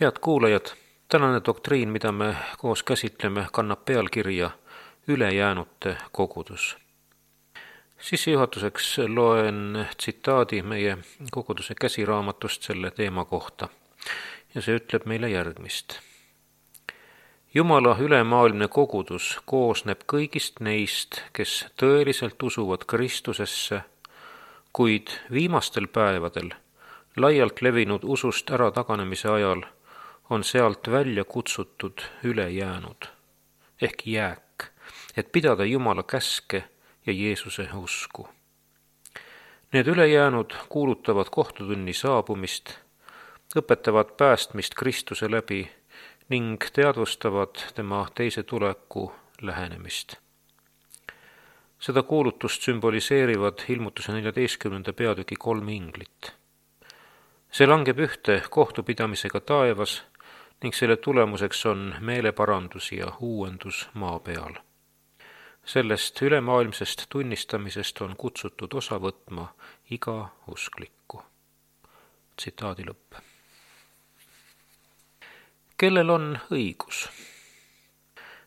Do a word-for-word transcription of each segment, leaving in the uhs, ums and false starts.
Head kuulajad, tänane doktriin, mida me koos käsitleme, kannab pealkirja Ülejäänute kogudus. Sissejuhatuseks loen tsitaadi meie koguduse käsiraamatust selle teema kohta ja see ütleb meile järgmist. Jumala ülemaailmne kogudus koosneb kõigist neist, kes tõeliselt usuvad Kristusesse, kuid viimastel päevadel laialt levinud usust ära taganemise ajal on sealt välja kutsutud ülejäänud ehk jääk, et pidada Jumala käske ja Jeesuse usku. Need ülejäänud kuulutavad kohtutunni saabumist, õpetavad päästmist Kristuse läbi ning teadvustavad tema teise tuleku lähenemist. Seda kuulutust sümboliseerivad ilmutuse neljateistkümnenda peatüki kolm inglit. See langeb ühte kohtupidamisega taevas ning selle tulemuseks on meeleparandus ja uuendus maa peal. Sellest ülemaailmsest tunnistamisest on kutsutud osa võtma iga usklikku. Tsitaadi lõpp. Kellel on õigus?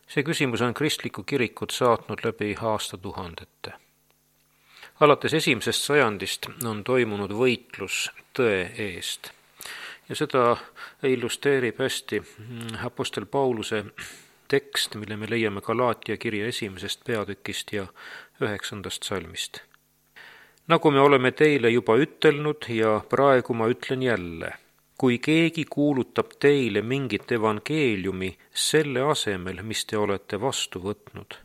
See küsimus on kristlikku kirikut saatnud läbi aastatuhandete. Alates esimesest sajandist on toimunud võitlus tõe eest ja seda illustreerib hästi apostel Pauluse tekst, mille me leiame Galaatia kirja esimesest peatükist ja üheksandast salmist. Nagu me oleme teile juba ütelnud ja praegu ma ütlen jälle, kui keegi kuulutab teile mingit evangeeliumi selle asemel, mis te olete vastu võtnud,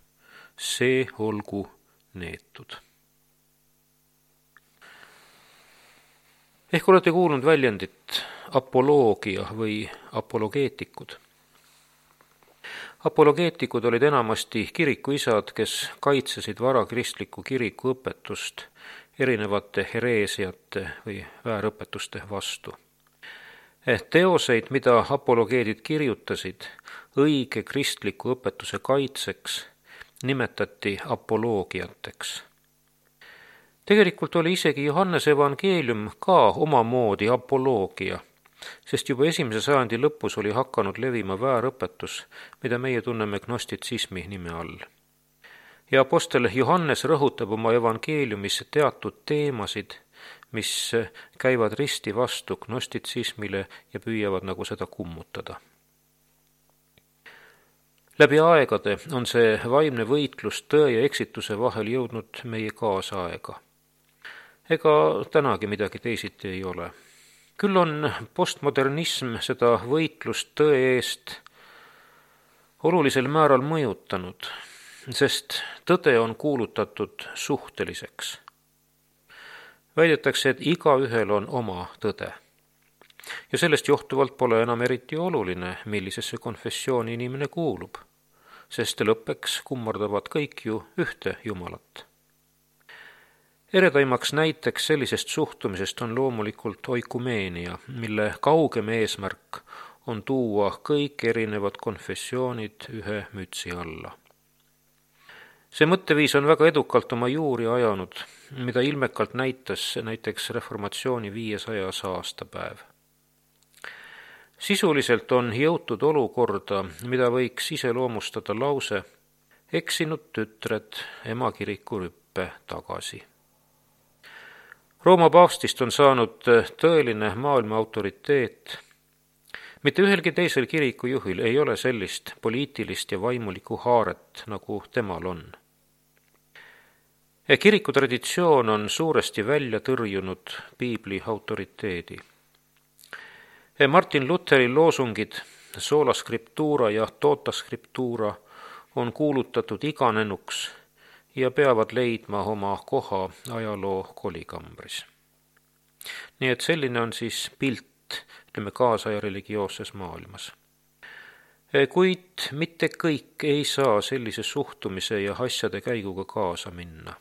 see olgu neetud. Ehk olete kuulnud väljendit apoloogia või apologeetikud. Apologeetikud olid enamasti kirikuisad, kes kaitsesid varakristliku kiriku õpetust erinevate hereesiate või väärõpetuste vastu. Teoseid, mida apologeedid kirjutasid õige kristliku õpetuse kaitseks, nimetati apoloogiateks. Tegelikult oli isegi Johannese evangeelium ka omamoodi apoloogia, sest juba esimese sajandi lõpus oli hakanud levima väärõpetus, mida meie tunneme gnostitsismi nime all. Ja apostel Johannes rõhutab oma evangeeliumis teatud teemasid, mis käivad risti vastu gnostitsismile ja püüavad nagu seda kummutada. Läbi aegade on see vaimne võitlus tõe ja eksituse vahel jõudnud meie kaasaega. Ega tänagi midagi teisiti ei ole. Küll on postmodernism seda võitlust tõe eest olulisel määral mõjutanud, sest tõde on kuulutatud suhteliseks. Väidetakse, et igaühel on oma tõde. Ja sellest johtuvalt pole enam eriti oluline, millisesse konfessiooni inimene kuulub, sest lõppeks kummardavad kõik ju ühte Jumalat. Eredaimaks näiteks sellisest suhtumisest on loomulikult oikumeenia, mille kaugem eesmärk on tuua kõik erinevad konfessioonid ühe mütsi alla. See mõtteviis on väga edukalt oma juuri ajanud, mida ilmekalt näitas näiteks reformatsiooni viiesajas aastapäev. Sisuliselt on jõutud olukorda, mida võiks iseloomustada lause eksinud tütred emakiriku rüppe tagasi. Rooma paavstist on saanud tõeline maailma autoriteet. Mitte ühelgi teisel kirikujuhil ei ole sellist poliitilist ja vaimulikku haaret, nagu temal on. Kiriku traditsioon on suuresti välja tõrjunud piibli autoriteedi. Martin Lutheri loosungid sola scriptura ja tota scriptura on kuulutatud iganenuks ja peavad leidma oma koha ajaloo kolikambris. Nii et selline on siis pilt, ütleme, kaasaja religioosses maailmas. Kuid mitte kõik ei saa sellise suhtumise ja asjade käiguga kaasa minna.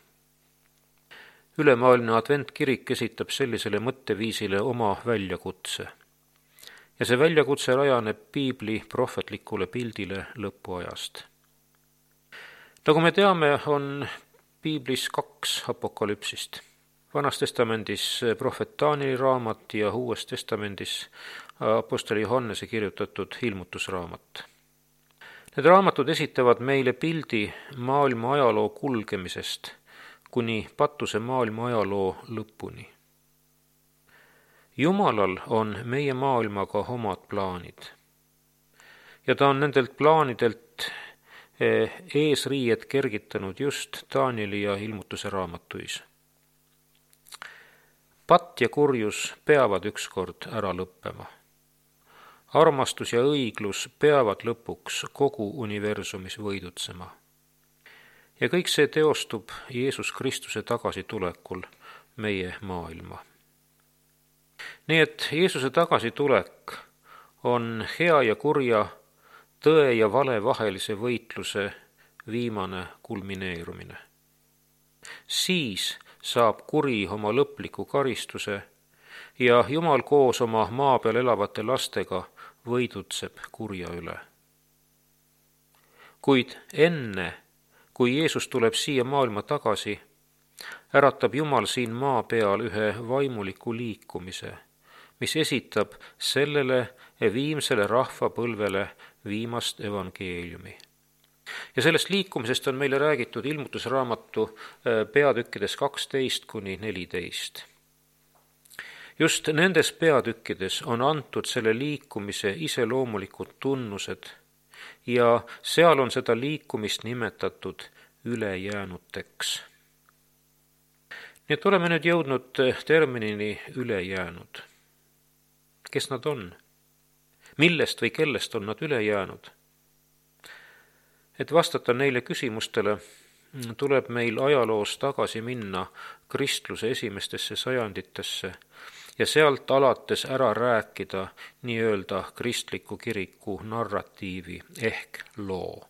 Ülemaailmne adventkirik esitab sellisele mõtteviisile oma väljakutse. Ja see väljakutse rajaneb piibli prohvetlikule pildile lõpuajast. Nagu me teame, on piiblis kaks apokalüpsist. Vanas testamendis prohvet Taanieli raamat ja Uues testamendis Apostel Johannese kirjutatud ilmutusraamat. Need raamatud esitavad meile pildi maailma ajaloo kulgemisest kuni patuse maailma ajaloo lõpuni. Jumalal on meie maailmaga omad plaanid ja ta on nendelt plaanidelt eesriied kergitanud just Taanieli ja ilmutuse raamatuis. Patt ja kurjus peavad ükskord ära lõppema. Armastus ja õiglus peavad lõpuks kogu universumis võidutsema. Ja kõik see teostub Jeesus Kristuse tagasitulekul meie maailma. Nii et Jeesuse tagasitulek on hea ja kurja, tõe ja vale vahelise võitluse viimane kulmineerumine. Siis saab kuri oma lõpliku karistuse ja Jumal koos oma maa peal elavate lastega võidutseb kurja üle. Kuid enne, kui Jeesus tuleb siia maailma tagasi, äratab Jumal siin maa peal ühe vaimuliku liikumise, mis esitab sellele viimsele rahvapõlvele viimast evangeeliumi. Ja sellest liikumisest on meile räägitud ilmutusraamatu peatükkides kaksteist kuni neliteist. Just nendes peatükkides on antud selle liikumise iseloomulikud tunnused ja seal on seda liikumist nimetatud ülejäänuteks. Nii et oleme nüüd jõudnud terminini ülejäänud. Kes nad on? Millest või kellest on nad üle jäänud? Et vastata neile küsimustele, tuleb meil ajaloos tagasi minna kristluse esimestesse sajanditesse ja sealt alates ära rääkida nii-öelda kristliku kiriku narratiivi ehk loo.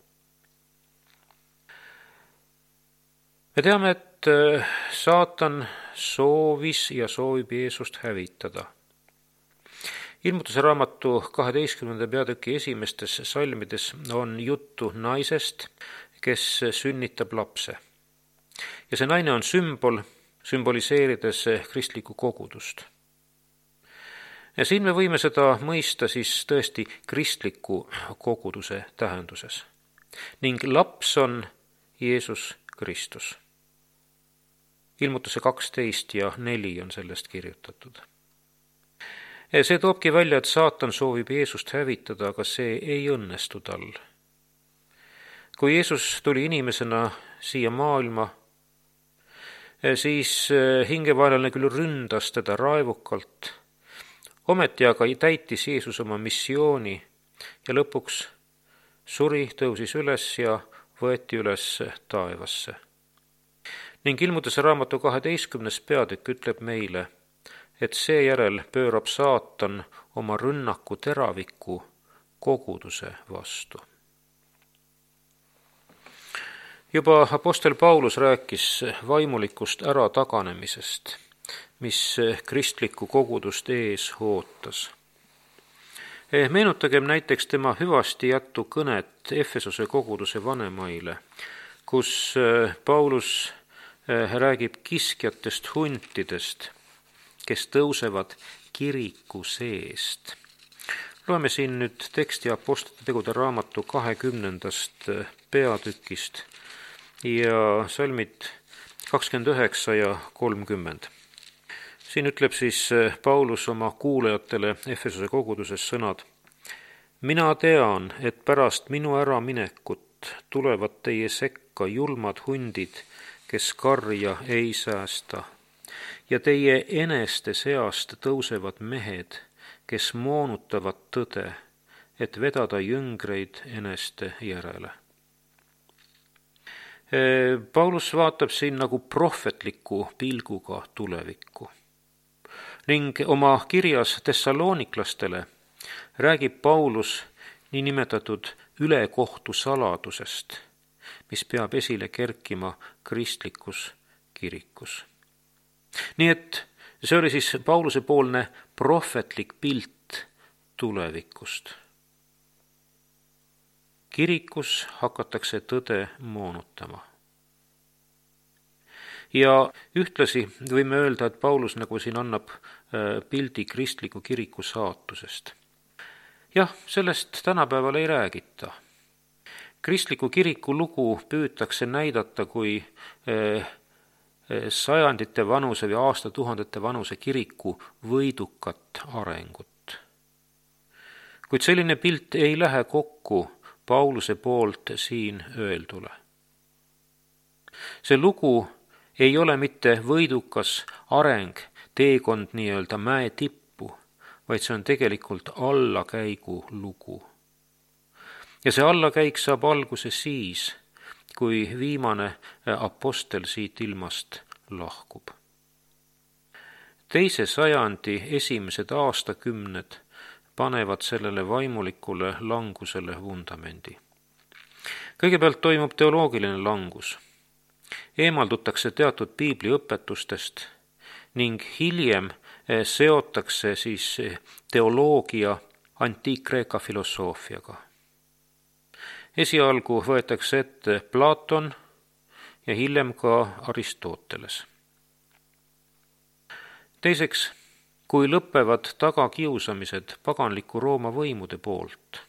Me teame, et saatan soovis ja soovib Jeesust hävitada. Ilmutuse raamatu kaheteistkümnenda peatüki esimestes salmides on juttu naisest, kes sünnitab lapse. Ja see naine on sümbol, sümboliseerides kristlikku kogudust. Ja siin me võime seda mõista siis tõesti kristliku koguduse tähenduses. Ning laps on Jeesus Kristus. Ilmutuse kaksteist ja neli on sellest kirjutatud. See toobki välja, et saatan soovib Jeesust hävitada, aga see ei õnnestu tal. Kui Jeesus tuli inimesena siia maailma, siis hingevaenlane küll ründas teda raevukalt, ometi aga täitis Jeesus oma missiooni ja lõpuks suri, tõusis üles ja võeti üles taevasse. Ning ilmutuse raamatu kaheteistkümnes peatükk ütleb meile, et seejärel pöörab saatan oma rünnaku teraviku koguduse vastu. Juba apostel Paulus rääkis vaimulikust ärataganemisest, mis kristlikku kogudust ees ootas. Meenutagem näiteks tema hüvasti jättu kõnet Efesose koguduse vanemaile, kus Paulus räägib kiskjatest huntidest, kes tõusevad kiriku seest. Loeme siin nüüd teksti Apostlite tegude raamatu kahekümnendast peatükist ja salmid kakskümmend üheksa ja kolmkümmend. Siin ütleb siis Paulus oma kuulajatele Efesose koguduses sõnad. Mina tean, et pärast minu äraminekut tulevad teie sekka julmad hundid, kes karja ei säästa. Ja teie eneste seast tõusevad mehed, kes moonutavad tõde, et vedada jüngreid eneste järele. Paulus vaatab siin nagu prohvetliku pilguga tulevikku. Ning oma kirjas Thessaloniklastele räägib Paulus niinimetatud ülekohtu saladusest, mis peab esile kerkima kristlikus kirikus. Nii et see oli siis Pauluse poolne prohvetlik pilt tulevikust. Kirikus hakatakse tõde moonutama. Ja ühtlasi võime öelda, et Paulus nagu siin annab pildi kristliku kiriku saatusest. Jah, sellest tänapäeval ei räägita. Kristliku kiriku lugu püütakse näidata kui sajandite vanuse või aastatuhandete vanuse kiriku võidukat arengut. Kuid selline pilt ei lähe kokku Pauluse poolt siin öeldule. See lugu ei ole mitte võidukas areng, teekond nii-öelda mäe tippu, vaid see on tegelikult allakäigu lugu. Ja see allakäik saab alguse siis, kui viimane apostel siit ilmast lahkub. Teise sajandi esimesed aastakümned panevad sellele vaimulikule langusele vundamendi. Kõigepealt toimub teoloogiline langus. Eemaldutakse teatud piibliõpetustest ning hiljem seotakse siis teoloogia antiik-Kreeka filosoofiaga. Esialgu võetakse ette Platon ja hiljem ka Aristoteles. Teiseks, kui lõpevad tagakiusamised paganliku Rooma võimude poolt,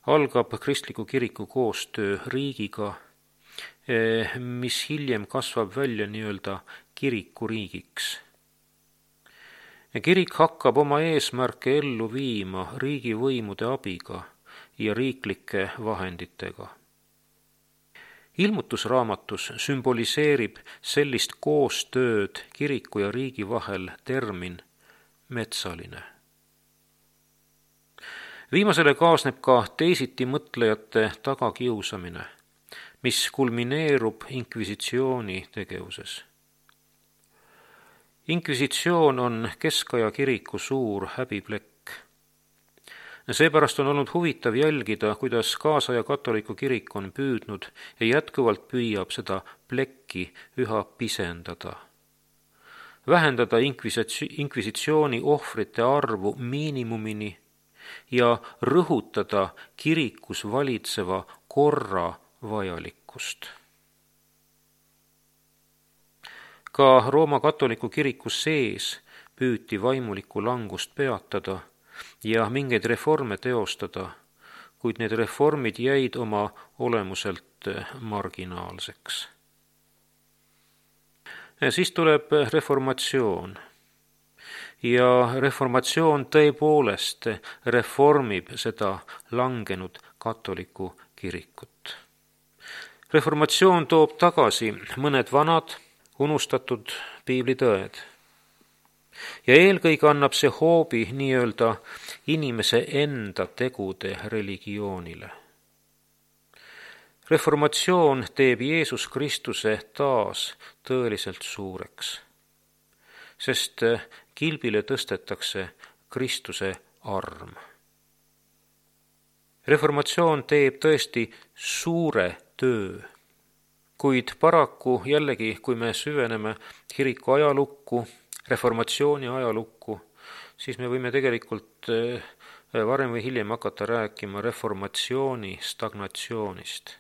algab kristliku kiriku koostöö riigiga, mis hiljem kasvab välja nii-öelda kirikuriigiks. Kirik hakkab oma eesmärke ellu viima riigivõimude abiga ja riiklike vahenditega. Ilmutusraamatus sümboliseerib sellist koostööd kiriku ja riigi vahel termin metsaline. Viimasele kaasneb ka teisiti mõtlejate tagakiusamine, mis kulmineerub inkvisitsiooni tegevuses. Inkvisitsioon on keskaja kiriku suur häbiplekk. Seepärast on olnud huvitav jälgida, kuidas kaasaja katoliku kirik on püüdnud ja jätkuvalt püüab seda plekki üha pisendada. Vähendada inkvisitsiooni ohvrite arvu miinimumini ja rõhutada kirikus valitseva korra vajalikkust. Ka Rooma katoliku kiriku sees püüti vaimulikku langust peatada ja mingeid reforme teostada, kuid need reformid jäid oma olemuselt marginaalseks. Siis tuleb reformatsioon. Ja reformatsioon tõepoolest reformib seda langenud katoliku kirikut. Reformatsioon toob tagasi mõned vanad, unustatud piiblitõed. Ja eelkõige annab see hoobi nii-öelda inimese enda tegude religioonile. Reformatsioon teeb Jeesus Kristuse taas tõeliselt suureks, sest kilbile tõstetakse Kristuse arm. Reformatsioon teeb tõesti suure töö, kuid paraku jällegi, kui me süveneme kiriku ajalukku, reformatsiooni ajalukku, siis me võime tegelikult varem või hiljem hakata rääkima reformatsiooni stagnatsioonist.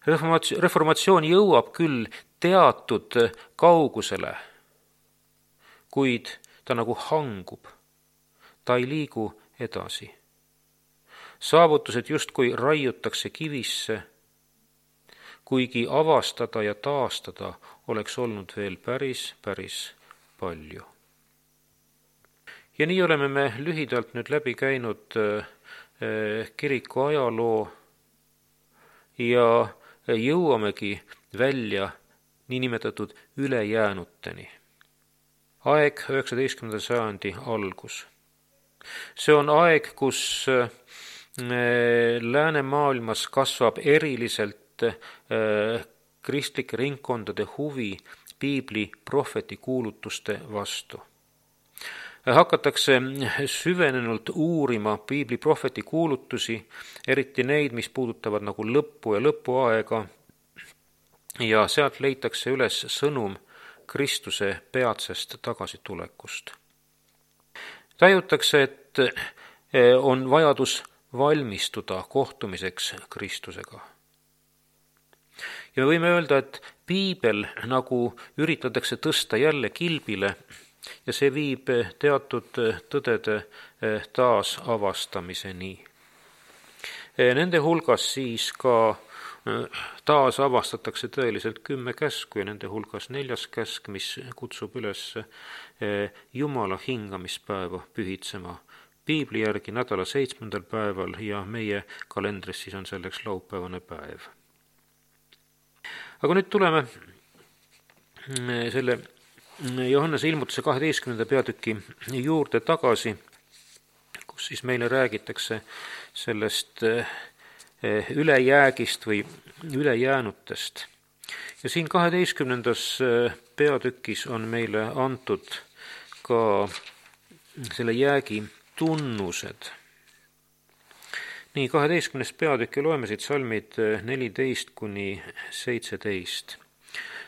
Reformatsioon jõuab küll teatud kaugusele, kuid ta nagu hangub, ta ei liigu edasi. Saavutused justkui raiutakse kivisse, kuigi avastada ja taastada oleks olnud veel päris, päris palju. Ja nii oleme me lühidalt nüüd läbi käinud kiriku ajaloo ja jõuamegi välja niinimetatud ülejäänuteni. Aeg üheksateistkümnenda sajandi algus. See on aeg, kus läänemaailmas kasvab eriliselt kristlike ringkondade huvi piibli prohveti kuulutuste vastu. Hakatakse süvenenult uurima piibli prohveti kuulutusi, eriti neid, mis puudutavad nagu lõppu ja lõpuaega, ja sealt leitakse üles sõnum Kristuse peatsest tagasitulekust. Tajutakse, et on vajadus valmistuda kohtumiseks Kristusega. ja me võime öelda, et piibel nagu üritatakse tõsta jälle kilbile ja see viib teatud tõdede taasavastamiseni. Nende hulgas siis ka taasavastatakse tõeliselt kümme käsku ja nende hulgas neljas käsk, mis kutsub üles Jumala hingamispäeva pühitsema piibli järgi nädala seitsmendal päeval ja meie kalendris siis on selleks laupäevane päev. Aga nüüd tuleme selle Johannese ilmutuse kaheteistkümnenda peatüki juurde tagasi, kus siis meile räägitakse sellest ülejäägist või ülejäänutest. Ja siin kaheteistkümnendas peatükis on meile antud ka selle jäägi tunnused. Nii, kaheteistkümnes peatükk ja loeme siit salmid neliteist kuni seitseteist.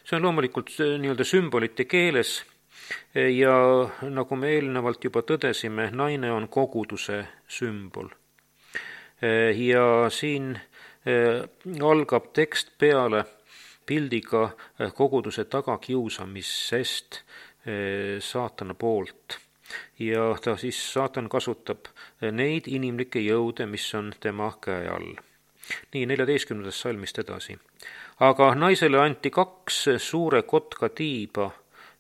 See on loomulikult nii-öelda sümbolite keeles ja nagu me eelnevalt juba tõdesime, naine on koguduse sümbol. Ja siin algab tekst peale pildiga koguduse tagakiusamisest saatana poolt. Ja ta siis, saatan kasutab neid inimlikke jõude, mis on tema käe all. Nii, neljateistkümnendast salmist edasi. Aga naisele anti kaks suure kotka tiiba,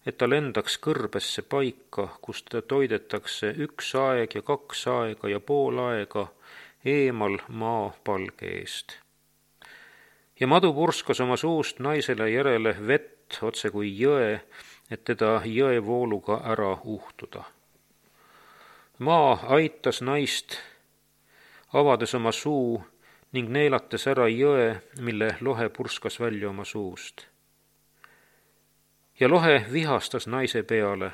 et ta lendaks kõrbesse paika, kus ta toidetakse üks aeg ja kaks aega ja pool aega eemal maa palge eest. Ja madu purskas oma suust naisele järele vett otse kui jõe, et teda jõevooluga ära uhtuda. Maa aitas naist, avades oma suu ning neelates ära jõe, mille lohe purskas välja oma suust. Ja lohe vihastas naise peale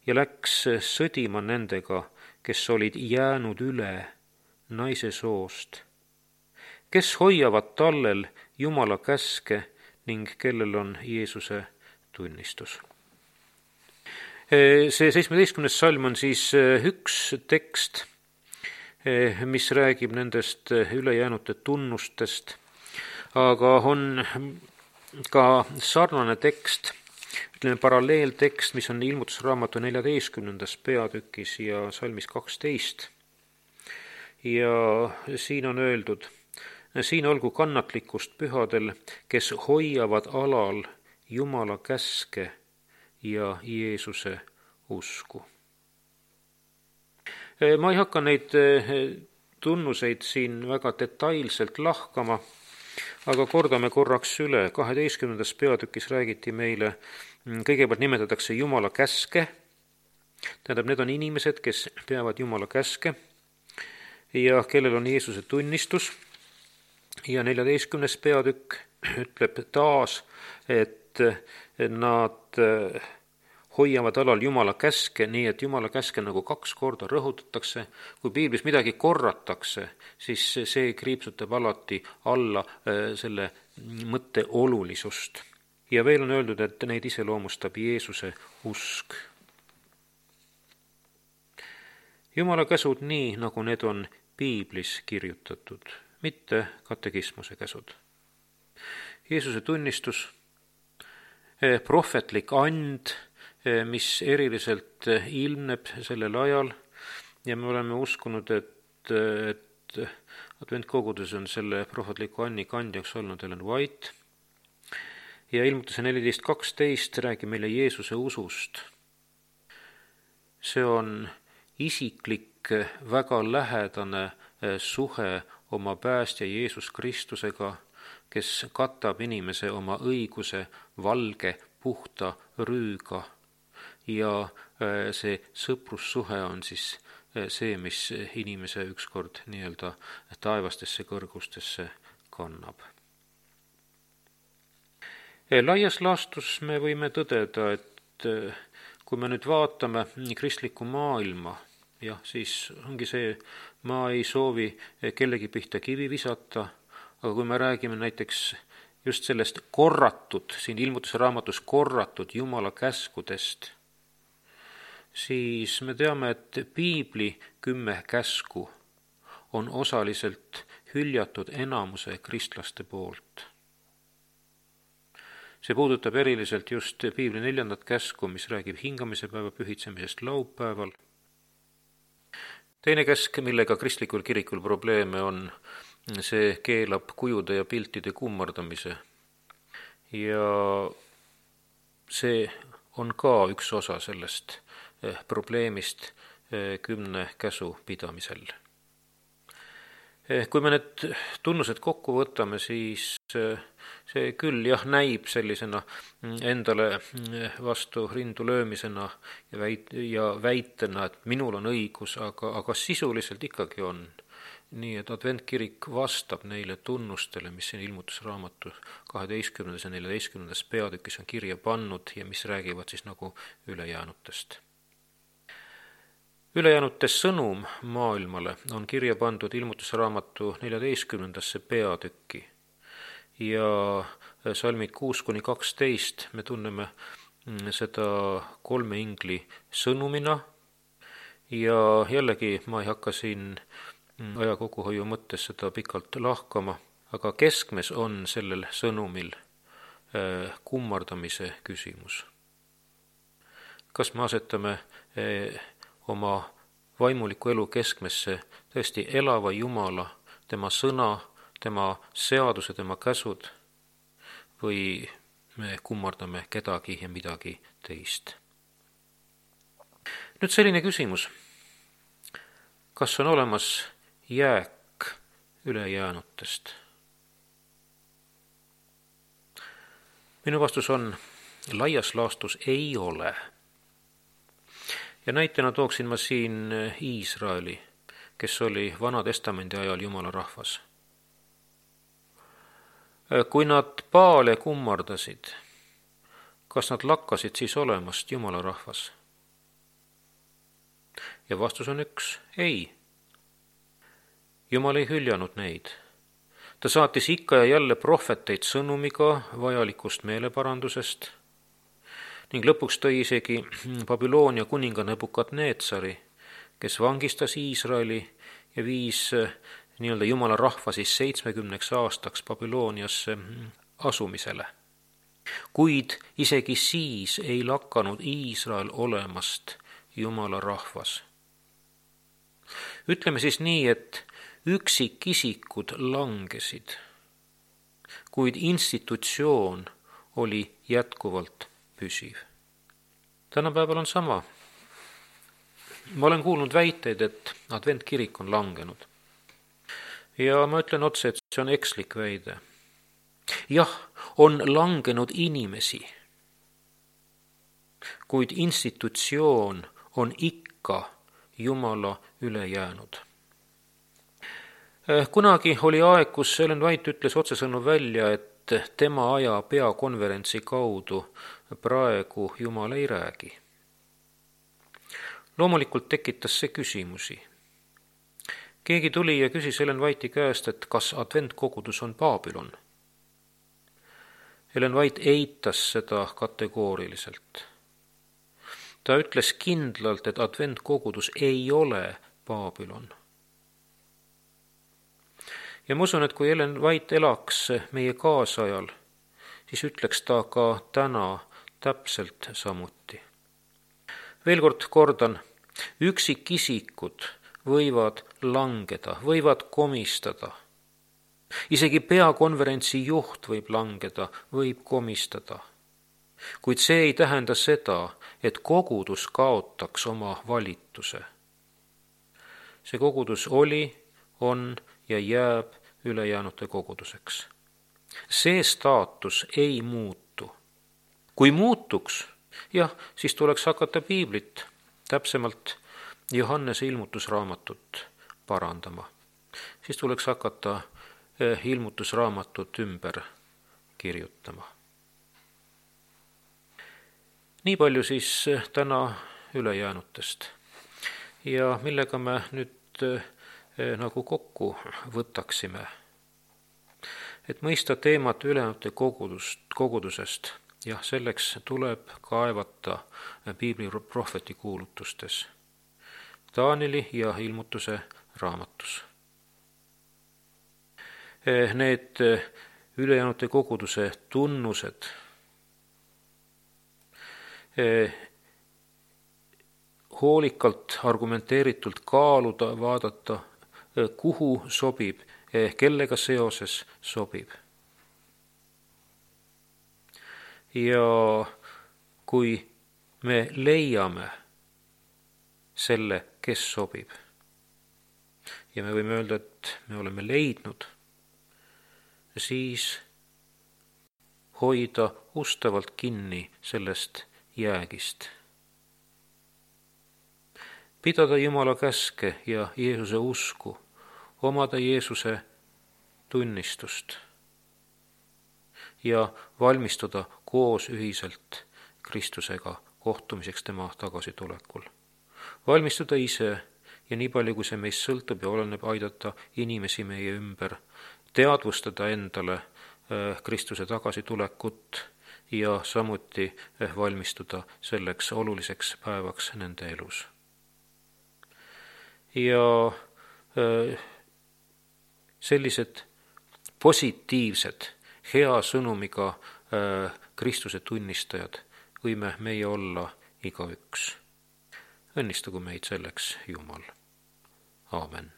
ja läks sõdima nendega, kes olid jäänud üle naise soost, kes hoiavad tallel Jumala käske ning kellel on Jeesuse tunnistus. See seitsmeteistkümnes salm on siis üks tekst, mis räägib nendest ülejäänute tunnustest, aga on ka sarnane tekst, ütleme paralleeltekst, mis on ilmutusraamatu neljateistkümnendas peatükis ja salmis kaksteist. Ja siin on öeldud, siin olgu kannatlikkust pühadel, kes hoiavad alal Jumala käske ja Jeesuse usku. Ma ei hakka neid tunnuseid siin väga detailselt lahkama, aga kordame korraks üle. kaheteistkümnendas peatükis räägiti meile, kõigepealt nimetatakse Jumala käske, tähendab, need on inimesed, kes peavad Jumala käske ja kellel on Jeesuse tunnistus. Ja neljateistkümnes peatükk ütleb taas, et nad hoiavad alal Jumala käske, nii et Jumala käske nagu kaks korda rõhutatakse. Kui piiblis midagi korratakse, siis see kriipsutab alati alla selle mõtte olulisust. Ja veel on öeldud, et neid iseloomustab Jeesuse usk. Jumala käsud nii, nagu need on piiblis kirjutatud, mitte katekismuse käsud. Jeesuse tunnistus, prohvetlik and, mis eriliselt ilmneb sellel ajal ja me oleme uskunud, et, et adventkogudes on selle prohvetliku anni kandjaks olnud Ellen White ja ilmutuse neliteist kaksteist räägib meile Jeesuse usust. See on isiklik, väga lähedane suhe oma päästja Jeesus Kristusega, kes katab inimese oma õiguse valge, puhta rüüga. Ja see sõprussuhe on siis see, mis inimese ükskord nii-öelda taevastesse kõrgustesse kannab. Laias laastus me võime tõdeda, et kui me nüüd vaatame kristlikku maailma, jah, siis ongi see, ma ei soovi kellegi pihta kivi visata, aga kui me räägime näiteks just sellest korratud, siin ilmutuse raamatus korratud Jumala käskudest, siis me teame, et piibli kümme käsku on osaliselt hüljatud enamuse kristlaste poolt. see puudutab eriliselt just piibli neljandat käsku, mis räägib hingamise päeva pühitsemisest laupäeval. Teine käsk, millega kristlikul kirikul probleeme on, see keelab kujude ja piltide kummardamise. Ja see on ka üks osa sellest probleemist kümne käsu pidamisel. Kui me need tunnused kokku võtame, siis see küll jah näib sellisena endale vastu rindu löömisena ja, väit- ja väitena, et minul on õigus, aga, aga sisuliselt ikkagi on. Nii et adventkirik vastab neile tunnustele, mis siin ilmutusraamatu kaheteistkümnendas ja neljateistkümnendas peatükis on kirja pannud ja mis räägivad siis nagu ülejäänutest. Ülejäänute sõnum maailmale on kirja pandud ilmutusraamatu neljateistkümnendasse peatükki ja salmid kuus kuni kaksteist me tunneme seda kolme ingli sõnumina ja jällegi ma ei hakka siin aja kokkuhoiu mõttes seda pikalt lahkama, aga keskmes on sellel sõnumil kummardamise küsimus. Kas me asetame oma vaimuliku elu keskmesse tõesti elava Jumala, tema sõna, tema seaduse, tema käsud või me kummardame kedagi ja midagi teist. Nüüd selline küsimus. Kas on olemas jääk ülejäänutest? Minu vastus on, laias laastus ei ole. Ja näitena tooksin ma siin Iisraeli, kes oli Vana Testamendi ajal Jumala rahvas. Kui nad Baale kummardasid, kas nad lakkasid siis olemast Jumala rahvas? Ja vastus on üks, ei. Jumal ei hüljanud neid. Ta saatis ikka ja jälle prohveteid sõnumiga vajalikust meeleparandusest ning lõpuks tõi isegi Babyloonia kuninga Nebukadnetsari, kes vangistas Iisraeli ja viis nii-öelda Jumala rahva siis seitsmekümneks aastaks Babyloniasse asumisele. Kuid isegi siis ei lakanud Iisrael olemast Jumala rahvas. Ütleme siis nii, et üksikisikud langesid, kuid institutsioon oli jätkuvalt püsiv. Tänapäeval on sama. Ma olen kuulnud väiteid, et adventkirik on langenud. Ja ma ütlen otse, et see on ekslik väide. Jah, on langenud inimesi, kuid institutsioon on ikka Jumala üle jäänud. Kunagi oli aeg, kus Ellen White ütles otsesõnu välja, et tema aja peakonverentsi kaudu praegu Jumal ei räägi. Loomulikult tekitas see küsimusi. Keegi tuli ja küsis Ellen White'i käest, et kas adventkogudus on Babylon. Ellen White eitas seda kategooriliselt. Ta ütles kindlalt, et adventkogudus ei ole Babylon. Ja ma usun, et kui Ellen White elaks meie kaasajal, siis ütleks ta ka täna täpselt samuti. Veel kord kordan, üksikisikud võivad langeda, võivad komistada. Isegi peakonverentsi juht võib langeda, võib komistada. Kuid see ei tähenda seda, et kogudus kaotaks oma valituse. See kogudus oli, on ja jääb ülejäänute koguduseks. See staatus ei muutu. Kui muutuks, jah, siis tuleks hakata piiblit, täpsemalt Johannese ilmutusraamatut parandama. Siis tuleks hakata ilmutusraamatut ümber kirjutama. Nii palju siis täna ülejäänutest. Ja millega me nüüd nagu kokku võtaksime, et mõista teemat ülejäänute kogudust, kogudusest, jah, selleks tuleb kaevata piibli prohveti kuulutustes, Taaneli ja ilmutuse raamatus. Need ülejäänute koguduse tunnused hoolikalt, argumenteeritult kaaluda, vaadata, kuhu sobib, kellega seoses sobib. Ja kui me leiame selle, kes sobib, ja me võime öelda, et me oleme leidnud, siis hoida ustavalt kinni sellest jäägist. Pidada Jumala käske ja Jeesuse usku, omada Jeesuse tunnistust ja valmistuda koos ühiselt Kristusega kohtumiseks tema tagasitulekul. Valmistuda ise ja nii palju, kui see meist sõltub ja oleneb, aidata inimesi meie ümber, teadvustada endale Kristuse tagasitulekut ja samuti valmistuda selleks oluliseks päevaks nende elus. Ja sellised positiivsed, hea sõnumiga Kristuse tunnistajad võime meie olla igaüks. Õnnistagu meid selleks Jumal. Aamen.